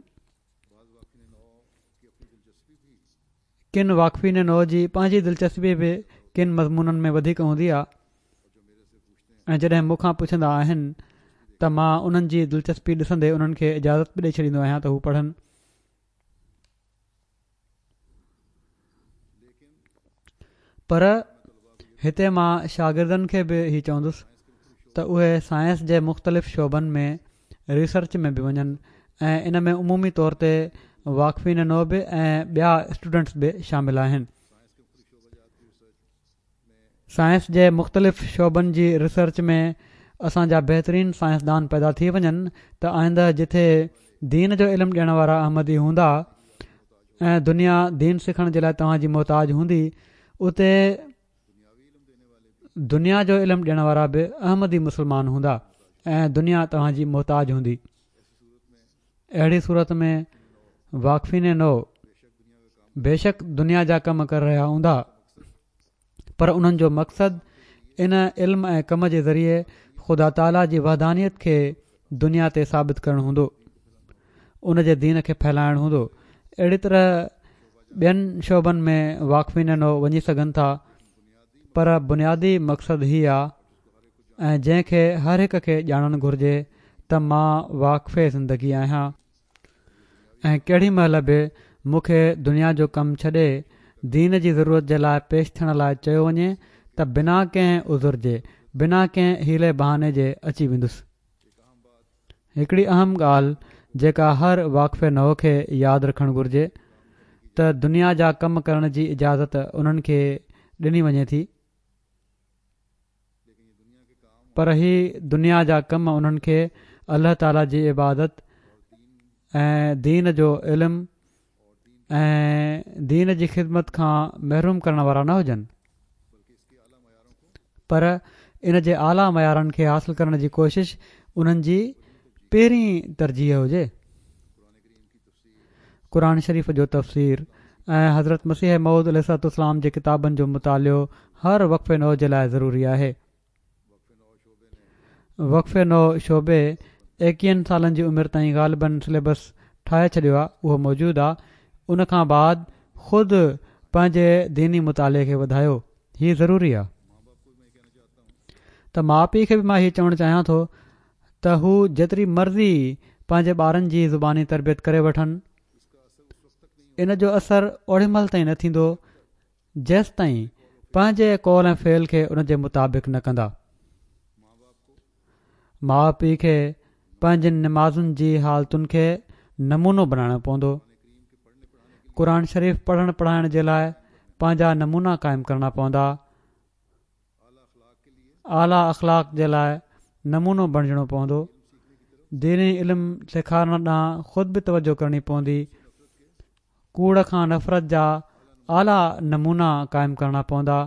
ڪن واقفين نو جي پنهنجي دلچسپي به ڪن مضمونن ۾ وڌيڪ هوندي آ ۽ جڏهن مون کان پڇندا آهن ته مان انهن جي دلچسپي ڏسندي انهن کي اجازت به ڏئي ڇڏيندو آهيان ته هو پڙهن. پر هتي مان شاگردن کي به هي چوندس ته اهي سائنس جي مختلف شعبن ۾ ريسرچ ۾ به وڃن ۽ ان ۾ عمومي طور تي واقفين نو به ۽ ٻيا اسٽوڊنٽس به شامل آهن. سائنس جي مختلف شعبن جي ريسرچ ۾ اسان جا بهترين سائنسدان پيدا ٿي وڃن ته آئنده جٿي دين جو علم ڏيڻ وارا احمدي هوندا ۽ دنيا دين سکڻ جي لاءِ توهان جي محتاج هوندي، اتي دنيا جو علم ڏيڻ وارا به احمدي مسلمان هوندا ۽ دنيا توهان جي محتاج هوندي. اهڙي صورت ۾ واقفين نو بيشڪ دنيا جا ڪم ڪري رهيا هوندا، پر انهن جو مقصد ان علم ۽ ڪم جي ذريعي خدا تعاليٰ جي وحدانيت کي دنيا تي ثابت ڪرڻ هوندو، ان جي دين کي ڦهلائڻ هوندو. اهڙي طرح ٻين شعبن ۾ واقفين نو وڃي سگهن ٿا، پر بنيادي مقصد هي آ ۽ جنهن کي هر هڪ کي ڄاڻڻ گهرجي ته مان واقف زندگي آهيان ۽ ڪهڙي مهل به مون کي دنيا جو ڪم ڇڏي دين جي ضرورت جي لاء پيش ٿيڻ لاء چيو وڃي ته بنا ڪنهن عذر جي، بنا ڪنهن حيلي بهاني جي اچي ويندس. هڪڙي اهم ڳالهه جيڪا هر واقف نو کي ياد رکڻ گهرجي ته دنيا جا ڪم ڪرڻ جي اجازت انهن کي ڏني وڃي ٿي، پر هي دنيا جا ڪم انهن کي الله تعاليٰ جي عبادت ۽ دين جو علم ۽ دين جي خدمت کان محروم ڪرڻ وارا نه هجن، پر ان جي اعليٰ معيارن کي حاصل ڪرڻ جي ڪوشش انهن جي پهرين ترجيح هجي. قرآن شريف جو تفسير ۽ حضرت مسيح موعود عليه الصلوة والسلام جي ڪتابن جو مطالعو هر وقف نو جي لاء ضروري آهي. وقف نو شعبي ايڪيهن سالن جي عمر تائين غالباً سليبس ٺاهي ڇڏيو آهي، اهو موجود آهي. ان کان بعد خود پنهنجي ديني مطالعي کي وڌايو، هي ضروري آهي. ته ماء پيء کي به مان هي چوڻ چاهيان ٿو ته هو جيتري مرضي پنهنجي ٻارن جي زباني تربيت ڪري وٺن، ان جو اثر اوڏي مهل تائين نه ٿيندو جيستائين پنهنجي قول ۽ فعل کي ان جي مطابق نه ڪندا. ماء پيء کي پنهنجين نمازن جي حالتن کي نمونو بڻائڻو پوندو. قرآن شريف پڙهڻ پڙهائڻ جي لاء پنهنجا نمونا قائم ڪرڻا پوندا. اعليٰ اخلاق جي لاء نمونو بڻجڻو پوندو. ديني علم سيکارڻ ڏانهن خود به توجه ڪرڻي پوندي. ڪوڙ کان نفرت جا اعليٰ نمونا قائم ڪرڻا پوندا.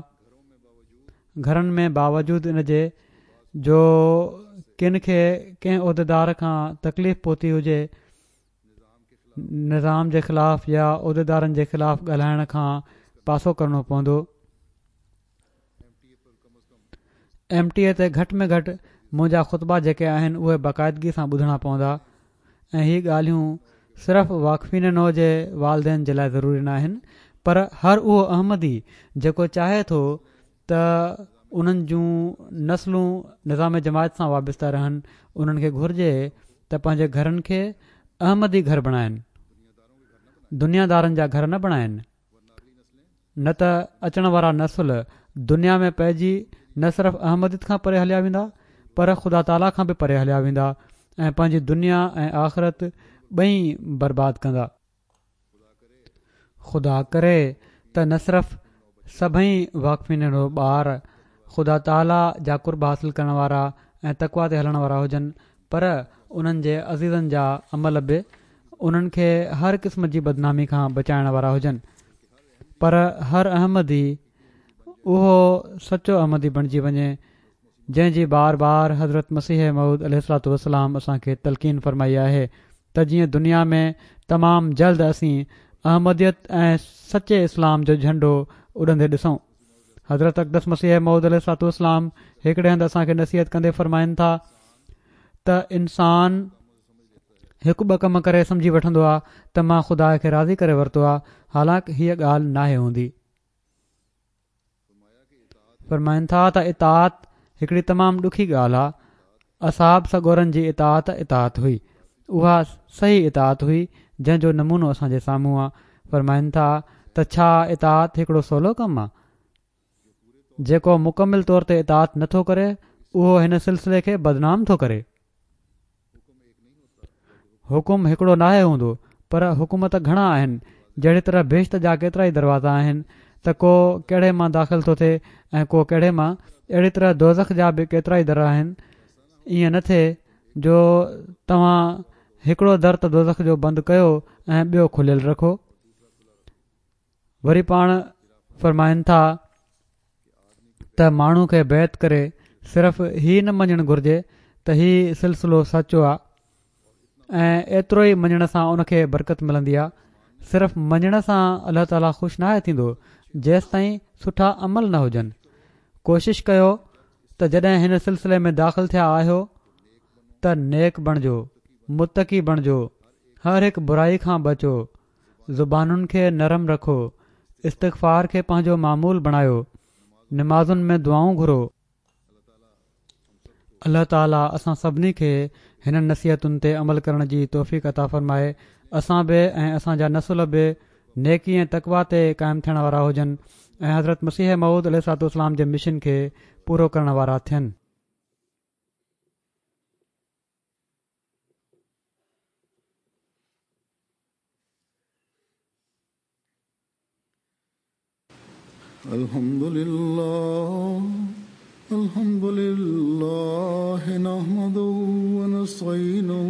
گهرن ۾ باوجود ان جي جو ڪن کي ڪنهن عهديدار کان تڪليف پهتي هجي، نظام جي خلاف يا عهديدارن جي خلاف ڳالهائڻ کان پاسو ڪرڻو پوندو. ايم ٽي اي تي گهٽ ۾ گهٽ منهنجا خطبا جيڪي آهن اهي باقاعدگي سان ٻڌڻا پوندا ۽ هي ڳالهيون صرف واقفين نو جي والدين جي لاء ضروري ناهن، پر هر اهو احمدي جيڪو چاهي ٿو ته انهن جون نسلون نظام جماعت سان وابسته رهن، انهن کي گهرجي ته پنهنجي گهرن کي احمدي گهر بڻائن، دنيا دارن جا گهر نه بڻائن، نه ته اچڻ وارا نسل دنيا ۾ پئجي نه صرف احمديت کان پري هليا ويندا، پر خدا تعاليٰ کان به پري هليا ويندا ۽ پنهنجي دنيا ۽ آخرت ٻئي برباد ڪندا. خدا ڪري ته نه صرف سڀئي واقفين نو ٻار خدا تعاليٰ جا قرب حاصل ڪرڻ وارا ۽ تقويٰ تي هلڻ وارا هجن، پر انهن جي عزيزن جا عمل به انهن کي هر قسم جي بدنامي کان بچائڻ وارا هجن، پر هر احمدي اهو سچو احمدي بڻجي وڃي جنهن جي بار بار حضرت مسيح موعود عليه الصلوة والسلام اسان کي تلقين فرمائي آهي ته جيئن دنيا ۾ تمام جلد اسين احمديت ۽ سچي اسلام جو جهنڊو اڏندي ڏسون. حضرت اقدس مسيح موعود عليه الصلوة والسلام هڪڙي هنڌ اسان کي نصيحت ڪندي فرمائن ٿا ته انسان هڪ ٻه ڪم ڪري سمجهي وٺندو آهي ته مان خدا کي راضي ڪري ورتو آهي، حالانڪ هيء ڳالهه ناهي هوندي. فرمائن ٿا ته اطاعت هڪڙي تمام ڏکي ڳالهه آهي. اصحاب سڳورن جي اطاعت اطاعت هئي، اها صحيح اطاعت هئي جنهن جو نمونو اسان جي سامهون آهي. فرمائن ٿا ته ڇا اطاعت هڪڙو سولو ڪم آهي؟ جيڪو مڪمل طور تي اطاعت نٿو ڪري اهو هن سلسلي کي بدنام ٿو ڪري. حڪم هڪڙو ناهي هوندو، پر حڪم ته گهڻا آهن. جهڙي طرح بهشت جا ڪيترائي دروازا آهن ته ڪو ڪهڙي مان داخل ٿو ٿئي ۽ ڪو ڪهڙي مان، اهڙي طرح دوزخ جا به ڪيترائي در آهن. ائين نه ٿئي جو توهان هڪڙو در ته دوزخ جو بند ڪيو ۽ ٻيو کليل رکو. وري پاڻ فرمائن ٿا ته ماڻهو کي بيعت ڪري صرف هي نه مڃڻ گهرجي ته هي سلسلو سچو آ ۽ ايترو ئي مڃڻ سان ان کي برڪت ملندي آ. صرف مڃڻ سان الله تعاليٰ خوش ناهي ٿيندو جيستائين سٺا عمل نه هجن. ڪوشش ڪيو ته جڏهن هن سلسلي ۾ داخل ٿيا آهيو ته نيڪ بڻجو، متقي بڻجو، هر هڪ برائي کان بچو، زبانن کي نرم رکو، استغفار کي پنهنجو معمول بڻايو، نمازن ۾ دعائون گهرو. الله تعاليٰ اسان سڀني کي هنن نصيحتن تي عمل ڪرڻ جي توفيق عطا فرمائي. اسان به ۽ اسان جا نسل به نيڪي ۽ تقويٰ تي قائم ٿيڻ وارا هجن ۽ حضرت مسيح موعود عليه الصلوة والسلام جي مشن کي پورو ڪرڻ وارا ٿين. الحمد لله الحمد لله نحمده ونستعينه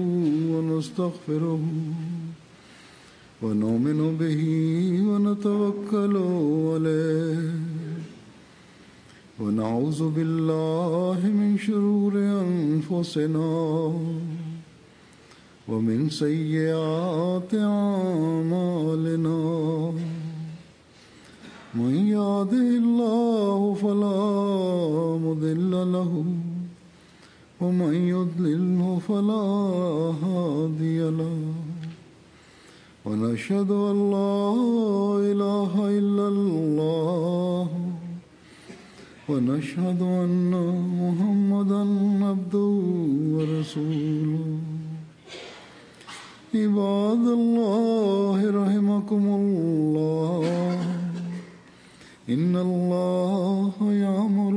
ونستغفره ونؤمن به ونتوكل عليه ونعوذ بالله من شرور أنفسنا ومن سيئات أعمالنا من يهده الله فلا مضل له ومن يضلله فلا هادي له ونشهد أن لا إله إلا الله ونشهد أن محمدا عبده ورسوله. عباد الله رحمكم الله، إن الله يأمر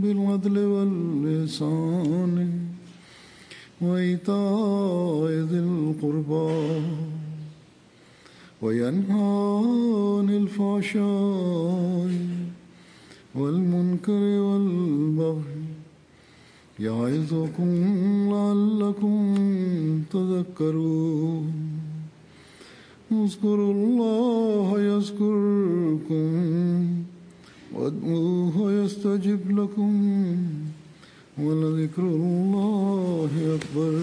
بالعدل والإحسان وإيتاء ذي القربى وينهى عن الفحشاء والمنكر والبغي يعظكم لعلكم تذكرون. اذكروا الله يذكركم وادعوه يستجب لكم ولذكر الله أكبر.